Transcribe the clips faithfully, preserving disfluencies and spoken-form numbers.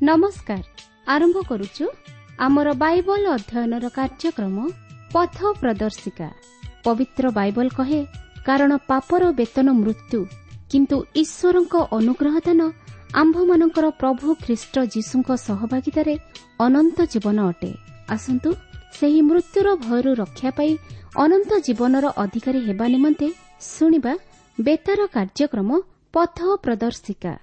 ନମସ୍କାର। ଆରମ୍ଭ କରୁଛୁ ଆମର ବାଇବଲ ଅଧ୍ୟୟନର କାର୍ଯ୍ୟକ୍ରମ ପଥ ପ୍ରଦର୍ଶିକା। ପବିତ୍ର ବାଇବଲ କହେ, କାରଣ ପାପର ବେତନ ମୃତ୍ୟୁ, କିନ୍ତୁ ଈଶ୍ୱରଙ୍କ ଅନୁଗ୍ରହ ଦାନ ଆମ୍ଭମାନଙ୍କର ପ୍ରଭୁ ଖ୍ରୀଷ୍ଟ ଯୀଶୁଙ୍କ ସହଭାଗିତାରେ ଅନନ୍ତ ଜୀବନ ଅଟେ। ଆସନ୍ତୁ ସେହି ମୃତ୍ୟୁର ଭୟରୁ ରକ୍ଷା ପାଇ ଅନନ୍ତ ଜୀବନର ଅଧିକାରୀ ହେବା ନିମନ୍ତେ ଶୁଣିବା ବେତାର କାର୍ଯ୍ୟକ୍ରମ ପଥ ପ୍ରଦର୍ଶିକା।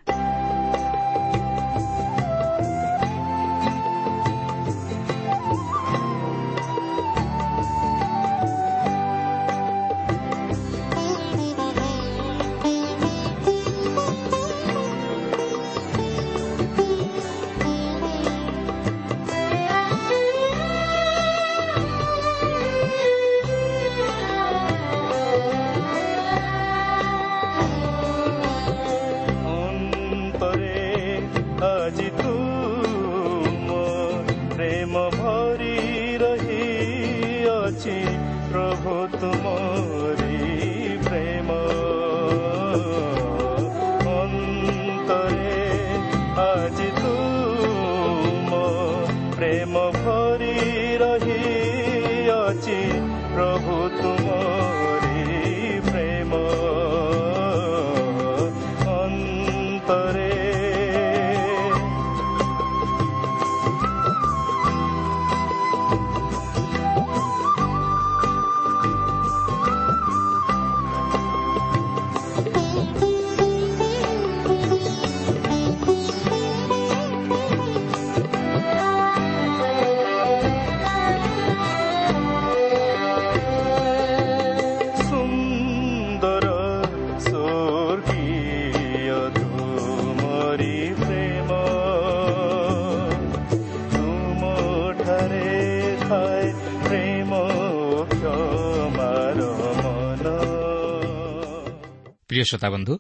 ପ୍ରିୟ ଶ୍ରୋତାବନ୍ଧୁ,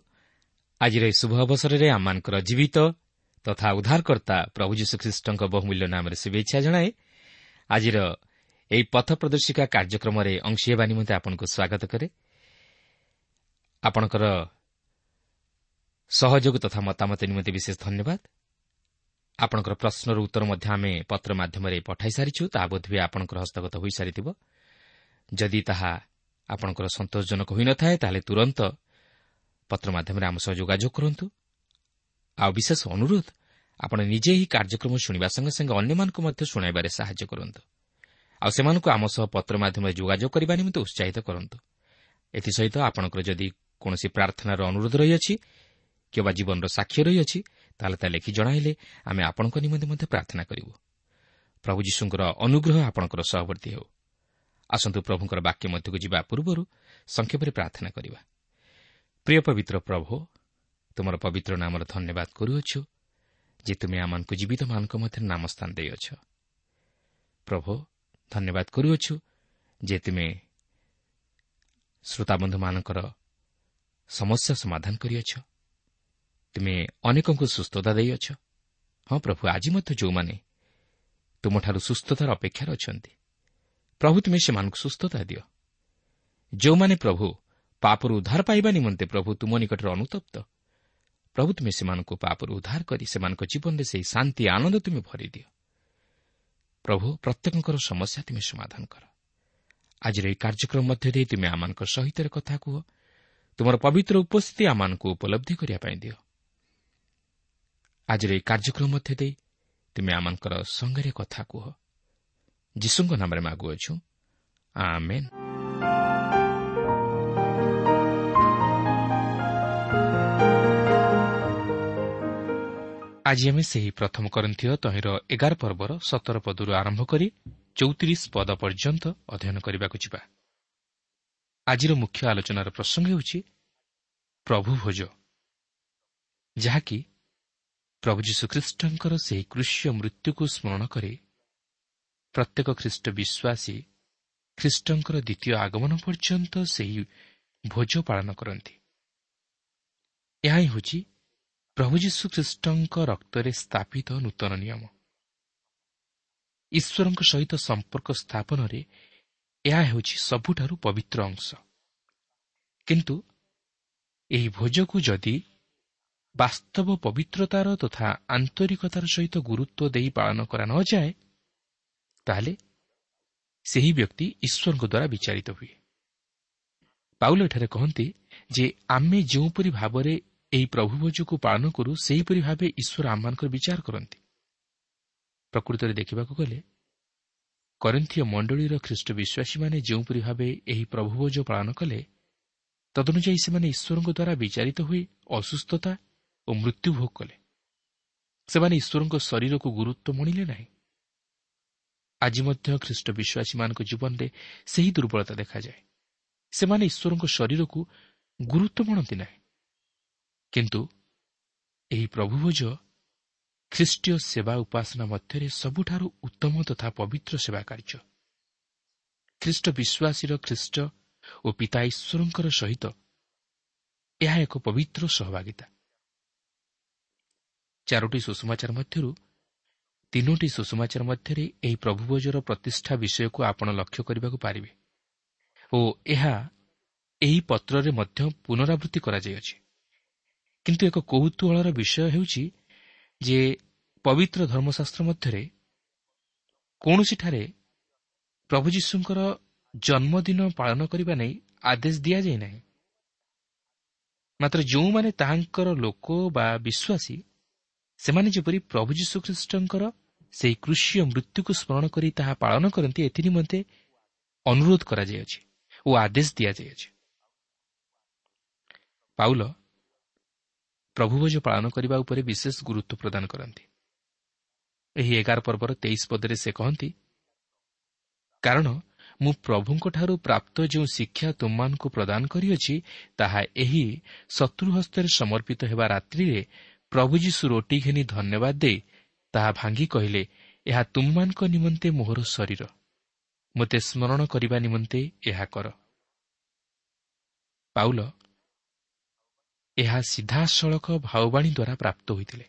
ଆଜିର ଏହି ଶୁଭ ଅବସରରେ ଆମମାନଙ୍କର ଜୀବିତ ତଥା ଉଦ୍ଧାରକର୍ତ୍ତା ପ୍ରଭୁ ଯୀଶୁଖ୍ରୀଷ୍ଟଙ୍କ ବହୁମୂଲ୍ୟ ନାମରେ ଶୁଭେଚ୍ଛା ଜଣାଏ। ଆଜିର ଏହି ପଥ ପ୍ରଦର୍ଶିକା କାର୍ଯ୍ୟକ୍ରମରେ ଅଂଶୀ ହେବା ନିମନ୍ତେ ଆପଣଙ୍କୁ ସ୍ୱାଗତ କରେ। ଆପଣଙ୍କର ସହଯୋଗ ତଥା ମତାମତ ନିମନ୍ତେ ବିଶେଷ ଧନ୍ୟବାଦ। ଆପଣଙ୍କର ପ୍ରଶ୍ନର ଉତ୍ତର ମଧ୍ୟ ଆମେ ପତ୍ର ମାଧ୍ୟମରେ ପଠାଇ ସାରିଛୁ, ତାହା ବୋଧହୁଏ ଆପଣଙ୍କର ହସ୍ତଗତ ହୋଇସାରିଥିବ। ଯଦି ତାହା ଆପଣଙ୍କର ସନ୍ତୋଷଜନକ ହୋଇନଥାଏ, ତାହେଲେ ତୁରନ୍ତ ପତ୍ର ମାଧ୍ୟମରେ ଆମ ସହ ଯୋଗାଯୋଗ କରନ୍ତୁ। ଆଉ ବିଶେଷ ଅନୁରୋଧ, ଆପଣ ନିଜେ ଏହି କାର୍ଯ୍ୟକ୍ରମ ଶୁଣିବା ସଙ୍ଗେ ସଙ୍ଗେ ଅନ୍ୟମାନଙ୍କୁ ମଧ୍ୟ ଶୁଣାଇବାରେ ସାହାଯ୍ୟ କରନ୍ତୁ। ଆଉ ସେମାନଙ୍କୁ ଆମ ସହ ପତ୍ର ମାଧ୍ୟମରେ ଯୋଗାଯୋଗ କରିବା ନିମନ୍ତେ ଉତ୍ସାହିତ କରନ୍ତୁ। ଏଥିସହିତ ଆପଣଙ୍କର ଯଦି କୌଣସି ପ୍ରାର୍ଥନାର ଅନୁରୋଧ ରହିଅଛି କିମ୍ବା ଜୀବନର ସାକ୍ଷ୍ୟ ରହିଅଛି, ତାହେଲେ ତା ଲେଖି ଜଣାଇଲେ ଆମେ ଆପଣଙ୍କ ନିମନ୍ତେ ମଧ୍ୟ ପ୍ରାର୍ଥନା କରିବୁ। ପ୍ରଭୁ ଯୀଶୁଙ୍କର ଅନୁଗ୍ରହ ଆପଣଙ୍କର ସହବର୍ତ୍ତୀ ହେଉ। ଆସନ୍ତୁ ପ୍ରଭୁଙ୍କର ବାକ୍ୟ ମଧ୍ୟକୁ ଯିବା ପୂର୍ବରୁ ସଂକ୍ଷେପରେ ପ୍ରାର୍ଥନା କରିବା। ପ୍ରିୟ ପବିତ୍ର ପ୍ରଭୁ, ତୁମର ପବିତ୍ର ନାମର ଧନ୍ୟବାଦ କରୁଅଛୁ ଯେ ତୁମେ ଆମମାନଙ୍କୁ ଜୀବିତମାନଙ୍କ ମଧ୍ୟରେ ନାମ ସ୍ଥାନ ଦେଇଅଛ। ପ୍ରଭୁ, ଧନ୍ୟବାଦ କରୁଅଛୁ ଯେ ତୁମେ ଶ୍ରୋତାବନ୍ଧୁମାନଙ୍କର ସମସ୍ୟା ସମାଧାନ କରିଅଛ। ତୁମେ ଅନେକଙ୍କୁ ସୁସ୍ଥତା ଦେଇଅଛ। ହଁ ପ୍ରଭୁ, ଆଜି ମଧ୍ୟ ଯେଉଁମାନେ ତୁମଠାରୁ ସୁସ୍ଥତାର ଅପେକ୍ଷାରେ ଅଛନ୍ତି, ପ୍ରଭୁ ତୁମେ ସେମାନଙ୍କୁ ସୁସ୍ଥତା ଦିଅ। ଯେଉଁମାନେ ପ୍ରଭୁ ପାପରୁ ଉଦ୍ଧାର ପାଇବା ନିମନ୍ତେ ପ୍ରଭୁ ତୁମ ନିକଟରେ ଅନୁତପ୍ତ, ପ୍ରଭୁ ତୁମେ ସେମାନଙ୍କୁ ପାପରୁ ଉଦ୍ଧାର କରି ସେମାନଙ୍କ ଜୀବନରେ ସେହି ଶାନ୍ତି ଆନନ୍ଦ ତୁମେ ଭରିଦିଅ। ପ୍ରଭୁ, ପ୍ରତ୍ୟେକଙ୍କର ସମସ୍ୟା ତୁମେ ସମାଧାନ କର। ଆଜିର ଏହି କାର୍ଯ୍ୟକ୍ରମ ମଧ୍ୟ ଦେଇ ତୁମେ ଆମମାନଙ୍କ ସହିତ କଥା କୁହ। ତୁମର ପବିତ୍ର ଉପସ୍ଥିତି ଆମମାନଙ୍କୁ ଉପଲବ୍ଧି କରିବା ପାଇଁ ଦିଅ। ଆଜିର ଏହି କାର୍ଯ୍ୟକ୍ରମ ମଧ୍ୟ ଦେଇ ତୁମେ ଆମମାନଙ୍କର ସଙ୍ଗରେ କଥା କୁହ। ଯୀଶୁଙ୍କ ନାମରେ ମାଗୁଅଛୁ, ଆମେନ୍। ଆଜି ଆମେ ସେହି ପ୍ରଥମ କରିନ୍ଥୀୟ ତହିଁର ଏଗାର ପର୍ବର ସତର ପଦରୁ ଆରମ୍ଭ କରି ଚଉତିରିଶ ପଦ ପର୍ଯ୍ୟନ୍ତ ଅଧ୍ୟୟନ କରିବାକୁ ଯିବା। ଆଜିର ମୁଖ୍ୟ ଆଲୋଚନାର ପ୍ରସଙ୍ଗ ହେଉଛି ପ୍ରଭୁ ଭୋଜ, ଯାହାକି ପ୍ରଭୁ ଯୀଶୁଖ୍ରୀଷ୍ଟଙ୍କର ସେହି କୃଷ୍ୟ ମୃତ୍ୟୁକୁ ସ୍ମରଣ କରି ପ୍ରତ୍ୟେକ ଖ୍ରୀଷ୍ଟ ବିଶ୍ୱାସୀ ଖ୍ରୀଷ୍ଟଙ୍କର ଦ୍ୱିତୀୟ ଆଗମନ ପର୍ଯ୍ୟନ୍ତ ସେହି ଭୋଜ ପାଳନ କରନ୍ତି। ଏହା ହିଁ ହେଉଛି ପ୍ରଭୁ ଯୀଶୁଖ୍ରୀଷ୍ଟଙ୍କ ରକ୍ତରେ ସ୍ଥାପିତ ନୂତନ ନିୟମ। ଈଶ୍ୱରଙ୍କ ସହିତ ସମ୍ପର୍କ ସ୍ଥାପନରେ ଏହା ହେଉଛି ସବୁଠାରୁ ପବିତ୍ର ଅଂଶ। କିନ୍ତୁ ଏହି ଭୋଜକୁ ଯଦି ବାସ୍ତବ ପବିତ୍ରତାର ତଥା ଆନ୍ତରିକତାର ସହିତ ଗୁରୁତ୍ୱ ଦେଇ ପାଳନ କରା ନଯାଏ, ତାହେଲେ ସେହି ବ୍ୟକ୍ତି ଈଶ୍ୱରଙ୍କ ଦ୍ୱାରା ବିଚାରିତ ହୁଏ। ପାଉଲ ଏଠାରେ କହନ୍ତି ଯେ ଆମେ ଯେଉଁପରି ଭାବରେ ଏହି ପ୍ରଭୁଭୋଜକୁ ପାଳନ କରୁ, ସେହିପରି ଭାବେ ଈଶ୍ୱର ଆମମାନଙ୍କର ବିଚାର କରନ୍ତି। ପ୍ରକୃତରେ ଦେଖିବାକୁ ଗଲେ କରିନ୍ଥୀୟ ମଣ୍ଡଳୀର ଖ୍ରୀଷ୍ଟ ବିଶ୍ୱାସୀମାନେ ଯେଉଁପରି ଭାବେ ଏହି ପ୍ରଭୁଭୋଜ ପାଳନ କଲେ, ତଦନୁଯାୟୀ ସେମାନେ ଈଶ୍ୱରଙ୍କ ଦ୍ୱାରା ବିଚାରିତ ହୋଇ ଅସୁସ୍ଥତା ଓ ମୃତ୍ୟୁ ଭୋଗ କଲେ। ସେମାନେ ଈଶ୍ୱରଙ୍କ ଶରୀରକୁ ଗୁରୁତ୍ୱ ମଣିଲେ ନାହିଁ। ଆଜି ମଧ୍ୟ ଖ୍ରୀଷ୍ଟ ବିଶ୍ୱାସୀମାନଙ୍କ ଜୀବନରେ ସେହି ଦୁର୍ବଳତା ଦେଖାଯାଏ। ସେମାନେ ଈଶ୍ୱରଙ୍କ ଶରୀରକୁ ଗୁରୁତ୍ୱ ମଣନ୍ତି ନାହିଁ। କିନ୍ତୁ ଏହି ପ୍ରଭୁଭୋଜ ଖ୍ରୀଷ୍ଟୀୟ ସେବା ଉପାସନା ମଧ୍ୟରେ ସବୁଠାରୁ ଉତ୍ତମ ତଥା ପବିତ୍ର ସେବା କାର୍ଯ୍ୟ। ଖ୍ରୀଷ୍ଟ ବିଶ୍ୱାସୀର ଖ୍ରୀଷ୍ଟ ଓ ପିତା ଈଶ୍ୱରଙ୍କର ସହିତ ଏହା ଏକ ପବିତ୍ର ସହଭାଗିତା। ଚାରୋଟି ସୁସମାଚାର ମଧ୍ୟରୁ ତିନୋଟି ସୁସମାଚାର ମଧ୍ୟରେ ଏହି ପ୍ରଭୁଭୋଜର ପ୍ରତିଷ୍ଠା ବିଷୟକୁ ଆପଣ ଲକ୍ଷ୍ୟ କରିବାକୁ ପାରିବେ ଓ ଏହା ଏହି ପତ୍ରରେ ମଧ୍ୟ ପୁନରାବୃତ୍ତି କରାଯାଇଅଛି। କିନ୍ତୁ ଏକ କୌତୂହଳର ବିଷୟ ହେଉଛି ଯେ ପବିତ୍ର ଧର୍ମଶାସ୍ତ୍ର ମଧ୍ୟରେ କୌଣସିଠାରେ ପ୍ରଭୁ ଯୀଶୁଙ୍କର ଜନ୍ମଦିନ ପାଳନ କରିବା ନେଇ ଆଦେଶ ଦିଆଯାଇ ନାହିଁ। ମାତ୍ର ଯେଉଁମାନେ ତାହାଙ୍କର ଲୋକ ବା ବିଶ୍ୱାସୀ, ସେମାନେ ଯେପରି ପ୍ରଭୁ ଯୀଶୁଖ୍ରୀଷ୍ଟଙ୍କର ସେହି କୃଷୀୟ ମୃତ୍ୟୁକୁ ସ୍ମରଣ କରି ତାହା ପାଳନ କରନ୍ତି, ଏଥିନିମନ୍ତେ ଅନୁରୋଧ କରାଯାଇଅଛି ଓ ଆଦେଶ ଦିଆଯାଇଅଛି। ପାଉଲ ପ୍ରଭୁଭୋଜ ପାଳନ କରିବା ଉପରେ ବିଶେଷ ଗୁରୁତ୍ୱ ପ୍ରଦାନ କରନ୍ତି। ଏହି ଏଗାର ପର୍ବର ତେଇଶ ପଦରେ ସେ କହନ୍ତି, କାରଣ ମୁଁ ପ୍ରଭୁଙ୍କଠାରୁ ପ୍ରାପ୍ତ ଯେଉଁ ଶିକ୍ଷା ତୁମମାନଙ୍କୁ ପ୍ରଦାନ କରିଅଛି, ତାହା ଏହି ଶତ୍ରୁ ହସ୍ତରେ ସମର୍ପିତ ହେବା ରାତ୍ରିରେ ପ୍ରଭୁ ଯୀଶୁ ରୋଟି ଘେନି ଧନ୍ୟବାଦ ଦେଇ ତାହା ଭାଙ୍ଗି କହିଲେ, ଏହା ତୁମମାନଙ୍କ ନିମନ୍ତେ ମୋହର ଶରୀର, ମୋତେ ସ୍ମରଣ କରିବା ନିମନ୍ତେ ଏହା କର। ପାଉଲ ଏହା ସିଧାସଳଖ ଭାବବାଣୀ ଦ୍ୱାରା ପ୍ରାପ୍ତ ହୋଇଥିଲେ।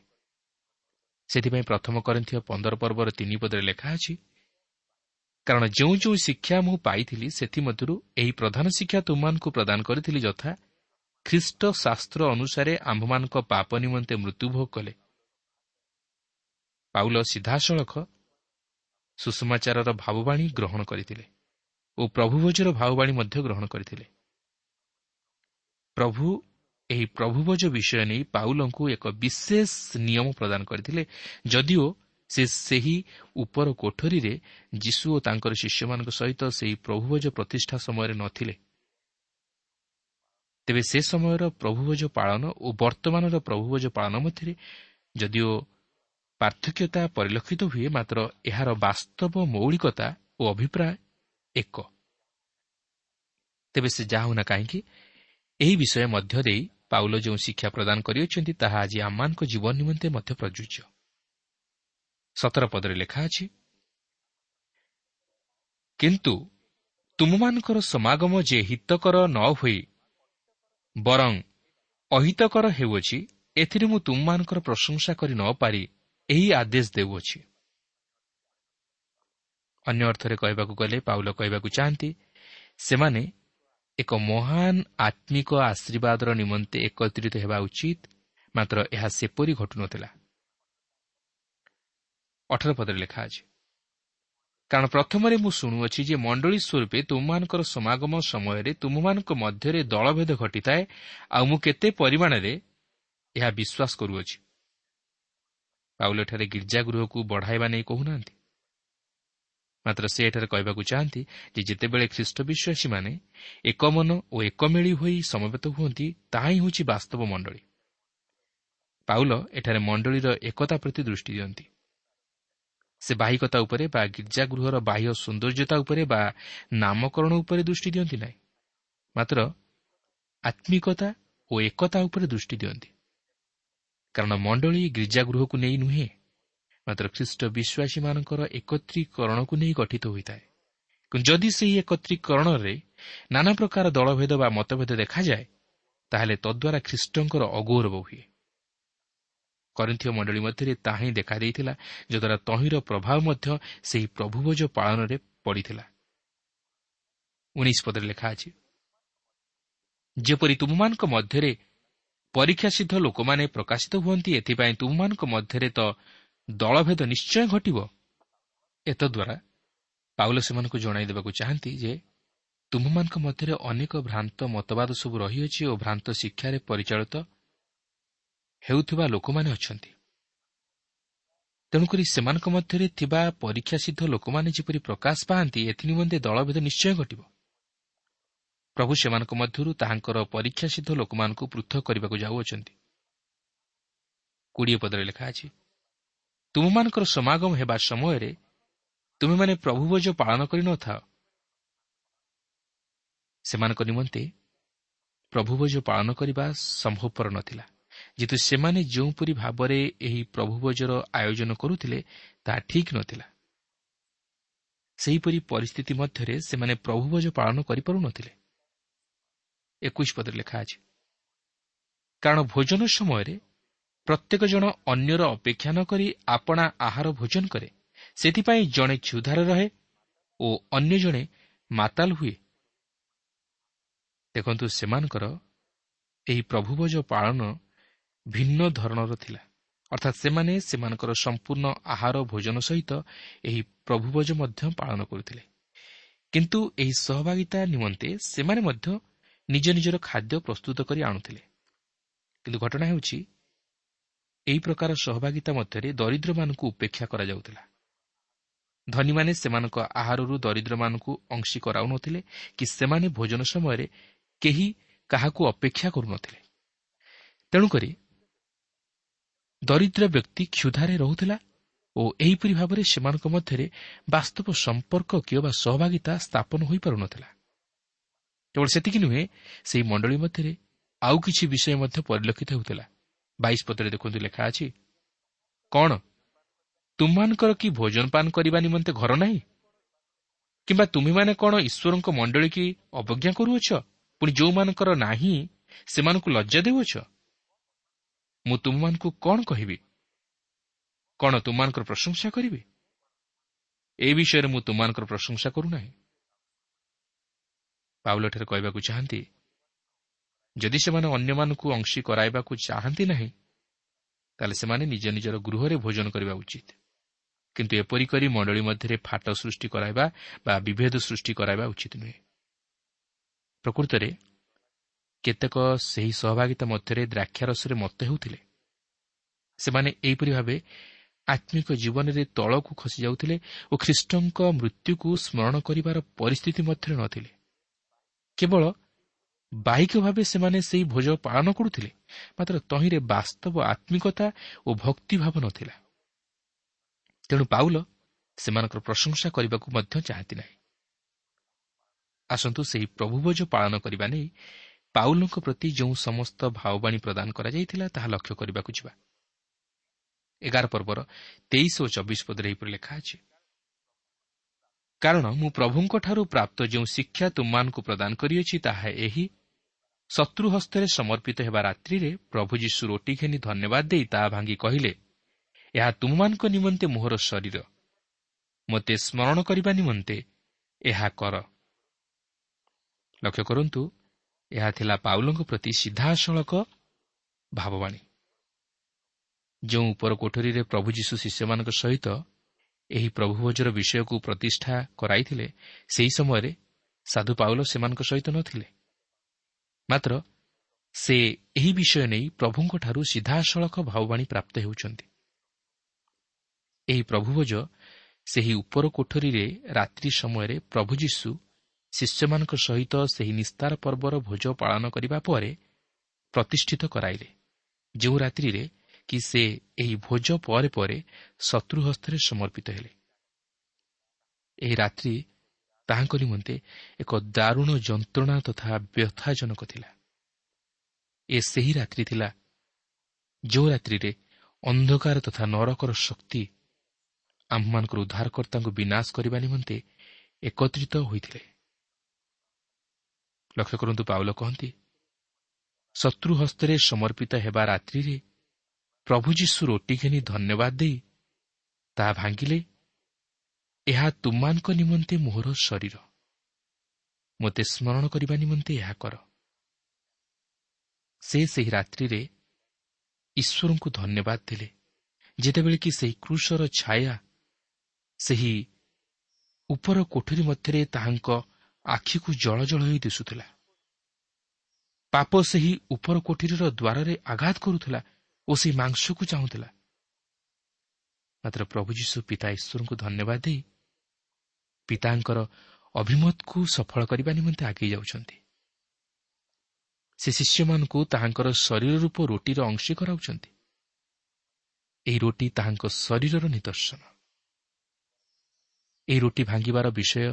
ସେଥିପାଇଁ ପ୍ରଥମ କରିନ୍ଥୀୟ ପନ୍ଦର ପର୍ବର ତିନି ପଦରେ ଲେଖା ଅଛି, କାରଣ ଯେଉଁ ଯେଉଁ ଶିକ୍ଷା ମୁଁ ପାଇଥିଲି ସେଥିମଧ୍ୟରୁ ଏହି ପ୍ରଧାନ ଶିକ୍ଷା ତୁମମାନଙ୍କୁ ପ୍ରଦାନ କରିଥିଲି, ଯଥା ଖ୍ରୀଷ୍ଟ ଶାସ୍ତ୍ର ଅନୁସାରେ ଆମ୍ଭମାନଙ୍କ ପାପ ନିମନ୍ତେ ମୃତ୍ୟୁଭୋଗ କଲେ। ପାଉଲ ସିଧାସଳଖ ସୁସମାଚାରର ଭାବବାଣୀ ଗ୍ରହଣ କରିଥିଲେ ଓ ପ୍ରଭୁଭୋଜର ଭାବବାଣୀ ମଧ୍ୟ ଗ୍ରହଣ କରିଥିଲେ। ପ୍ରଭୁ ଏହି ପ୍ରଭୁଭୋଜ ବିଷୟ ନେଇ ପାଉଲଙ୍କୁ ଏକ ବିଶେଷ ନିୟମ ପ୍ରଦାନ କରିଥିଲେ, ଯଦିଓ ସେ ସେହି ଉପର କୋଠରୀରେ ଯୀଶୁ ଓ ତାଙ୍କର ଶିଷ୍ୟମାନଙ୍କ ସହିତ ସେହି ପ୍ରଭୁଭୋଜ ପ୍ରତିଷ୍ଠା ସମୟରେ ନଥିଲେ। ତେବେ ସେ ସମୟର ପ୍ରଭୁଭୋଜ ପାଳନ ଓ ବର୍ତ୍ତମାନର ପ୍ରଭୁଭୋଜ ପାଳନ ମଧ୍ୟରେ ଯଦିଓ ପାର୍ଥକ୍ୟତା ପରିଲକ୍ଷିତ ହୁଏ, ମାତ୍ର ଏହାର ବାସ୍ତବ ମୌଳିକତା ଓ ଅଭିପ୍ରାୟ ଏକ। ତେବେ ସେ ଯାହା ହେଉନା କାହିଁକି, ଏହି ବିଷୟ ମଧ୍ୟ ଦେଇ ପାଉଲ ଯେଉଁ ଶିକ୍ଷା ପ୍ରଦାନ କରିଅଛନ୍ତି ତାହା ଆଜି ଆମମାନଙ୍କ ଜୀବନ ନିମନ୍ତେ ମଧ୍ୟ ପ୍ରଯୁଜ୍ୟ। ସତର ପଦରେ ଲେଖା ଅଛି, କିନ୍ତୁ ତୁମମାନଙ୍କର ସମାଗମ ଯେ ହିତକର ନ ହୋଇ ବରଂ ଅହିତକର ହେଉଅଛି, ଏଥିରେ ମୁଁ ତୁମମାନଙ୍କର ପ୍ରଶଂସା କରି ନ ପାରି ଏହି ଆଦେଶ ଦେଉଅଛି। ଅନ୍ୟ ଅର୍ଥରେ କହିବାକୁ ଗଲେ ପାଉଲ କହିବାକୁ ଚାହାନ୍ତି, ସେମାନେ ଏକ ମହାନ ଆତ୍ମିକ ଆଶୀର୍ବାଦର ନିମନ୍ତେ ଏକତ୍ରିତ ହେବା ଉଚିତ, ମାତ୍ର ଏହା ସେପରି ଘଟୁନଥିଲା। ଅଠର ପଦରେ ଲେଖା ଅଛି, କାରଣ ପ୍ରଥମରେ ମୁଁ ଶୁଣୁଅଛି ଯେ ମଣ୍ଡଳୀ ସ୍ୱରୂପେ ତୁମମାନଙ୍କର ସମାଗମ ସମୟରେ ତୁମମାନଙ୍କ ମଧ୍ୟରେ ଦଳଭେଦ ଘଟିଥାଏ, ଆଉ ମୁଁ କେତେ ପରିମାଣରେ ଏହା ବିଶ୍ୱାସ କରୁଅଛି। ପାଉଲ ଏଠାରେ ଗିର୍ଜାଗୃହକୁ ବଢ଼ାଇବା ନେଇ କହୁନାହାନ୍ତି, ମାତ୍ର ସେ ଏଠାରେ କହିବାକୁ ଚାହାନ୍ତି ଯେ ଯେତେବେଳେ ଖ୍ରୀଷ୍ଟ ବିଶ୍ୱାସୀମାନେ ଏକ ମନ ଓ ଏକମେଳି ହୋଇ ସମବେତ ହୁଅନ୍ତି, ତାହା ହିଁ ହେଉଛି ବାସ୍ତବ ମଣ୍ଡଳୀ। ପାଉଲ ଏଠାରେ ମଣ୍ଡଳୀର ଏକତା ପ୍ରତି ଦୃଷ୍ଟି ଦିଅନ୍ତି। ସେ ବାହ୍ୟିକତା ଉପରେ ବା ଗିର୍ଜାଗୃହର ବାହ୍ୟ ସୌନ୍ଦର୍ଯ୍ୟତା ଉପରେ ବା ନାମକରଣ ଉପରେ ଦୃଷ୍ଟି ଦିଅନ୍ତି ନାହିଁ, ମାତ୍ର ଆତ୍ମିକତା ଓ ଏକତା ଉପରେ ଦୃଷ୍ଟି ଦିଅନ୍ତି। କାରଣ ମଣ୍ଡଳୀ ଗିର୍ଜାଗୃହକୁ ନେଇ ନୁହେଁ, ମାତ୍ର ଖ୍ରୀଷ୍ଟ ବିଶ୍ୱାସୀମାନଙ୍କର ଏକତ୍ରୀକରଣକୁ ନେଇ ଗଠିତ ହୋଇଥାଏ। କିନ୍ତୁ ଯଦି ସେହି ଏକତ୍ରୀକରଣରେ ନାନା ପ୍ରକାର ଦଳଭେଦ ବା ମତଭେଦ ଦେଖାଯାଏ, ତାହେଲେ ତଦ୍ୱାରା ଖ୍ରୀଷ୍ଟଙ୍କର ଅଗୌରବ ହୁଏ। କରିନ୍ଥୀୟ ମଣ୍ଡଳୀ ମଧ୍ୟରେ ତାହା ହିଁ ଦେଖାଦେଇଥିଲା, ଯଦ୍ୱାରା ତହିଁର ପ୍ରଭାବ ମଧ୍ୟ ସେହି ପ୍ରଭୁଭୋଜ ପାଳନରେ ପଡ଼ିଥିଲା। ଉଣେଇଶ ପଦରେ ଲେଖା ଅଛି, ଯେପରି ତୁମମାନଙ୍କ ମଧ୍ୟରେ ପରୀକ୍ଷା ସିଦ୍ଧ ଲୋକମାନେ ପ୍ରକାଶିତ ହୁଅନ୍ତି, ଏଥିପାଇଁ ତୁମମାନଙ୍କ ମଧ୍ୟରେ ତ ଦଳଭେଦ ନିଶ୍ଚୟ ଘଟିବ। ଏତଦ୍ୱାରା ପାଉଲ ସେମାନଙ୍କୁ ଜଣାଇ ଦେବାକୁ ଚାହାନ୍ତି ଯେ ତୁମମାନଙ୍କ ମଧ୍ୟରେ ଅନେକ ଭ୍ରାନ୍ତ ମତବାଦ ସବୁ ରହିଅଛି ଓ ଭ୍ରାନ୍ତ ଶିକ୍ଷାରେ ପରିଚାଳିତ ହେଉଥିବା ଲୋକମାନେ ଅଛନ୍ତି। ତେଣୁକରି ସେମାନଙ୍କ ମଧ୍ୟରେ ଥିବା ପରୀକ୍ଷା ସିଦ୍ଧ ଲୋକମାନେ ଯେପରି ପ୍ରକାଶ ପାଆନ୍ତି, ଏଥିନିମନ୍ତେ ଦଳଭେଦ ନିଶ୍ଚୟ ଘଟିବ। ପ୍ରଭୁ ସେମାନଙ୍କ ମଧ୍ୟରୁ ତାହାଙ୍କର ପରୀକ୍ଷା ସିଦ୍ଧ ଲୋକମାନଙ୍କୁ ପୃଥକ କରିବାକୁ ଯାଉଅଛନ୍ତି। କୋଡ଼ିଏ ପଦରେ ଲେଖା ଅଛି, ତୁମମାନଙ୍କର ସମାଗମ ହେବା ସମୟରେ ତୁମେମାନେ ପ୍ରଭୁଭୋଜ ପାଳନ କରିନଥାଅ। ସେମାନଙ୍କ ନିମନ୍ତେ ପ୍ରଭୁଭୋଜ ପାଳନ କରିବା ସମ୍ଭବପର ନଥିଲା, ଯେହେତୁ ସେମାନେ ଯେଉଁପରି ଭାବରେ ଏହି ପ୍ରଭୁଭୋଜର ଆୟୋଜନ କରୁଥିଲେ ତାହା ଠିକ୍ ନଥିଲା। ସେହିପରି ପରିସ୍ଥିତି ମଧ୍ୟରେ ସେମାନେ ପ୍ରଭୁଭୋଜ ପାଳନ କରିପାରୁନଥିଲେ। ଏକୋଇଶ ପଦରେ ଲେଖା ଅଛି, କାରଣ ଭୋଜନ ସମୟରେ ପ୍ରତ୍ୟେକ ଜଣ ଅନ୍ୟର ଅପେକ୍ଷା ନ କରି ଆପଣା ଆହାର ଭୋଜନ କରେ, ସେଥିପାଇଁ ଜଣେ କ୍ଷୁଧାରେ ରହେ ଓ ଅନ୍ୟ ଜଣେ ମାତାଲ ହୁଏ। ଦେଖନ୍ତୁ, ସେମାନଙ୍କର ଏହି ପ୍ରଭୁଭୋଜ ପାଳନ ଭିନ୍ନ ଧରଣର ଥିଲା, ଅର୍ଥାତ୍ ସେମାନେ ସେମାନଙ୍କର ସମ୍ପୂର୍ଣ୍ଣ ଆହାର ଭୋଜନ ସହିତ ଏହି ପ୍ରଭୁଭୋଜ ମଧ୍ୟ ପାଳନ କରୁଥିଲେ। କିନ୍ତୁ ଏହି ସହଭାଗିତା ନିମନ୍ତେ ସେମାନେ ମଧ୍ୟ ନିଜ ନିଜର ଖାଦ୍ୟ ପ୍ରସ୍ତୁତ କରି ଆଣୁଥିଲେ। କିନ୍ତୁ ଘଟଣା ହେଉଛି, ଏହି ପ୍ରକାର ସହଭାଗିତା ମଧ୍ୟରେ ଦରିଦ୍ରମାନଙ୍କୁ ଉପେକ୍ଷା କରାଯାଉଥିଲା। ଧନୀମାନେ ସେମାନଙ୍କ ଆହାରରୁ ଦରିଦ୍ରମାନଙ୍କୁ ଅଂଶୀ କରାଉନଥିଲେ କି ସେମାନେ ଭୋଜନ ସମୟରେ କେହି କାହାକୁ ଅପେକ୍ଷା କରୁନଥିଲେ। ତେଣୁକରି ଦରିଦ୍ର ବ୍ୟକ୍ତି କ୍ଷୁଧାରେ ରହୁଥିଲା ଓ ଏହିପରି ଭାବରେ ସେମାନଙ୍କ ମଧ୍ୟରେ ବାସ୍ତବ ସମ୍ପର୍କ କିମ୍ବା ସହଭାଗିତା ସ୍ଥାପନ ହୋଇପାରୁନଥିଲା। କେବଳ ସେତିକି ନୁହେଁ, ସେହି ମଣ୍ଡଳୀ ମଧ୍ୟରେ ଆଉ କିଛି ବିଷୟ ମଧ୍ୟ ପରିଲକ୍ଷିତ ହେଉଥିଲା। ବାଇଶ ପଦରେ ଦେଖନ୍ତୁ ଲେଖା ଅଛି, କ'ଣ ତୁମମାନଙ୍କର କି ଭୋଜନପାନ କରିବା ନିମନ୍ତେ ଘର ନାହିଁ? କିମ୍ବା ତୁମେମାନେ କ'ଣ ଈଶ୍ୱରଙ୍କ ମଣ୍ଡଳୀ କି ଅବଜ୍ଞା କରୁଅଛ? ପୁଣି ଯେଉଁମାନଙ୍କର ନାହିଁ ସେମାନଙ୍କୁ ଲଜ୍ଜା ଦେଉଅଛ? ମୁଁ ତୁମମାନଙ୍କୁ କ'ଣ କହିବି? କ'ଣ ତୁମମାନଙ୍କର ପ୍ରଶଂସା କରିବି? ଏ ବିଷୟରେ ମୁଁ ତୁମମାନଙ୍କର ପ୍ରଶଂସା କରୁନାହିଁ। ପାଉଲ ଏଠାରେ କହିବାକୁ ଚାହାନ୍ତି, ଯଦି ସେମାନେ ଅନ୍ୟମାନଙ୍କୁ ଅଂଶୀ କରାଇବାକୁ ଚାହାନ୍ତି ନାହିଁ, ତାହେଲେ ସେମାନେ ନିଜ ନିଜର ଗୃହରେ ଭୋଜନ କରିବା ଉଚିତ। କିନ୍ତୁ ଏପରି କରି ମଣ୍ଡଳୀ ମଧ୍ୟରେ ଫାଟ ସୃଷ୍ଟି କରାଇବା ବା ବିଭେଦ ସୃଷ୍ଟି କରାଇବା ଉଚିତ ନୁହେଁ। ପ୍ରକୃତରେ କେତେକ ସେହି ସହଭାଗିତା ମଧ୍ୟରେ ଦ୍ରାକ୍ଷାରସରେ ମତ୍ତ ହେଉଥିଲେ। ସେମାନେ ଏହିପରି ଭାବେ ଆତ୍ମିକ ଜୀବନରେ ତଳକୁ ଖସିଯାଉଥିଲେ ଓ ଖ୍ରୀଷ୍ଟଙ୍କ ମୃତ୍ୟୁକୁ ସ୍ମରଣ କରିବାର ପରିସ୍ଥିତି ମଧ୍ୟରେ ନଥିଲେ। କେବଳ ବାହ୍ୟିକ ଭାବେ ସେମାନେ ସେହି ଭୋଜ ପାଳନ କରୁଥିଲେ, ମାତ୍ର ତହିଁରେ ବାସ୍ତବ ଆତ୍ମିକତା ଓ ଭକ୍ତିଭାବ ନଥିଲା। ତେଣୁ ପାଉଲ ସେମାନଙ୍କର ପ୍ରଶଂସା କରିବାକୁ ମଧ୍ୟ ଚାହାନ୍ତି ନାହିଁ। ଆସନ୍ତୁ ସେହି ପ୍ରଭୁଭୋଜ ପାଳନ କରିବା ନେଇ ପାଉଲଙ୍କ ପ୍ରତି ଯେଉଁ ସମସ୍ତ ଭାବବାଣୀ ପ୍ରଦାନ କରାଯାଇଥିଲା ତାହା ଲକ୍ଷ୍ୟ କରିବାକୁ ଯିବା। ଏଗାର ପର୍ବର ତେଇଶ ଓ ଚବିଶ ପଦରେ ଏହିପରି ଲେଖା ଅଛି, କାରଣ ମୁଁ ପ୍ରଭୁଙ୍କଠାରୁ ପ୍ରାପ୍ତ ଯେଉଁ ଶିକ୍ଷା ତୁମମାନଙ୍କୁ ପ୍ରଦାନ କରିଅଛି ତାହା ଏହି, ଶତ୍ରୁ ହସ୍ତରେ ସମର୍ପିତ ହେବା ରାତ୍ରିରେ ପ୍ରଭୁ ଯୀଶୁ ରୋଟି ଘେନି ଧନ୍ୟବାଦ ଦେଇ ତାହା ଭାଙ୍ଗି କହିଲେ, ଏହା ତୁମମାନଙ୍କ ନିମନ୍ତେ ମୋହର ଶରୀର, ମୋତେ ସ୍ମରଣ କରିବା ନିମନ୍ତେ ଏହା କର। ଲକ୍ଷ୍ୟ କରନ୍ତୁ, ଏହା ଥିଲା ପାଉଲଙ୍କ ପ୍ରତି ସିଧାସଳଖ ଭାବବାଣୀ। ଯେଉଁ ଉପର କୋଠରୀରେ ପ୍ରଭୁ ଯୀଶୁ ଶିଷ୍ୟମାନଙ୍କ ସହିତ ଏହି ପ୍ରଭୁଭୋଜର ବିଷୟକୁ ପ୍ରତିଷ୍ଠା କରାଇଥିଲେ, ସେହି ସମୟରେ ସାଧୁ ପାଉଲ ସେମାନଙ୍କ ସହିତ ନଥିଲେ। ମାତ୍ର ସେ ଏହି ବିଷୟ ନେଇ ପ୍ରଭୁଙ୍କଠାରୁ ସିଧାସଳଖ ଭାବବାଣୀ ପ୍ରାପ୍ତ ହେଉଛନ୍ତି। ଏହି ପ୍ରଭୁଭୋଜ ସେହି ଉପର କୋଠରୀରେ ରାତ୍ରି ସମୟରେ ପ୍ରଭୁ ଯୀଶୁ ଶିଷ୍ୟମାନଙ୍କ ସହିତ ସେହି ନିସ୍ତାର ପର୍ବର ଭୋଜ ପାଳନ କରିବା ପରେ ପ୍ରତିଷ୍ଠିତ କରାଇଲେ, ଯେଉଁ ରାତ୍ରିରେ କି ସେ ଏହି ଭୋଜ ପରେ ପରେ ଶତ୍ରୁ ହସ୍ତରେ ସମର୍ପିତ ହେଲେ। ଏହି ରାତ୍ରି ତାହାଙ୍କ ନିମନ୍ତେ ଏକ ଦାରୁଣ ଯନ୍ତ୍ରଣା ତଥା ବ୍ୟଥାଜନକ ଥିଲା। ଏ ସେହି ରାତ୍ରି ଥିଲା ଯେଉଁ ରାତ୍ରିରେ ଅନ୍ଧକାର ତଥା ନରକର ଶକ୍ତି ଆମ୍ଭମାନଙ୍କର ଉଦ୍ଧାରକର୍ତ୍ତାଙ୍କୁ ବିନାଶ କରିବା ନିମନ୍ତେ ଏକତ୍ରିତ ହୋଇଥିଲେ। ଲକ୍ଷ୍ୟ କରନ୍ତୁ, ପାଉଲ କହନ୍ତି, ଶତ୍ରୁ ହସ୍ତରେ ସମର୍ପିତ ହେବା ରାତ୍ରିରେ ପ୍ରଭୁ ଯୀଶୁ ରୋଟି ଘେନି ଧନ୍ୟବାଦ ଦେଇ ତାହା ଭାଙ୍ଗିଲେ, ଏହା ତୁମମାନଙ୍କ ନିମନ୍ତେ ମୋହର ଶରୀର, ମୋତେ ସ୍ମରଣ କରିବା ନିମନ୍ତେ ଏହା କର। ସେ ସେହି ରାତ୍ରିରେ ଈଶ୍ୱରଙ୍କୁ ଧନ୍ୟବାଦ ଦେଲେ, ଯେତେବେଳେ କି ସେହି କ୍ରୁଶର ଛାୟା ସେହି ଉପର କୋଠରୀ ମଧ୍ୟରେ ତାହାଙ୍କ ଆଖିକୁ ଜଳ ଜଳ ହୋଇ ଦିଶୁଥିଲା। ପାପ ସେହି ଉପର କୋଠରୀର ଦ୍ୱାରରେ ଆଘାତ କରୁଥିଲା ଓ ସେହି ମାଂସକୁ ଚାହୁଁଥିଲା। ମାତ୍ର ପ୍ରଭୁ ଯୀଶୁ ପିତା ଈଶ୍ୱରଙ୍କୁ ଧନ୍ୟବାଦ ଦେଇ ପିତାଙ୍କର ଅଭିମତକୁ ସଫଳ କରିବା ନିମନ୍ତେ ଆଗେଇ ଯାଉଛନ୍ତି। ସେ ଶିଷ୍ୟମାନଙ୍କୁ ତାହାଙ୍କର ଶରୀର ରୂପ ରୋଟିର ଅଂଶୀ କରାଉଛନ୍ତି। ଏହି ରୋଟି ତାହାଙ୍କ ଶରୀରର ନିଦର୍ଶନ। ଏହି ରୋଟି ଭାଙ୍ଗିବାର ବିଷୟ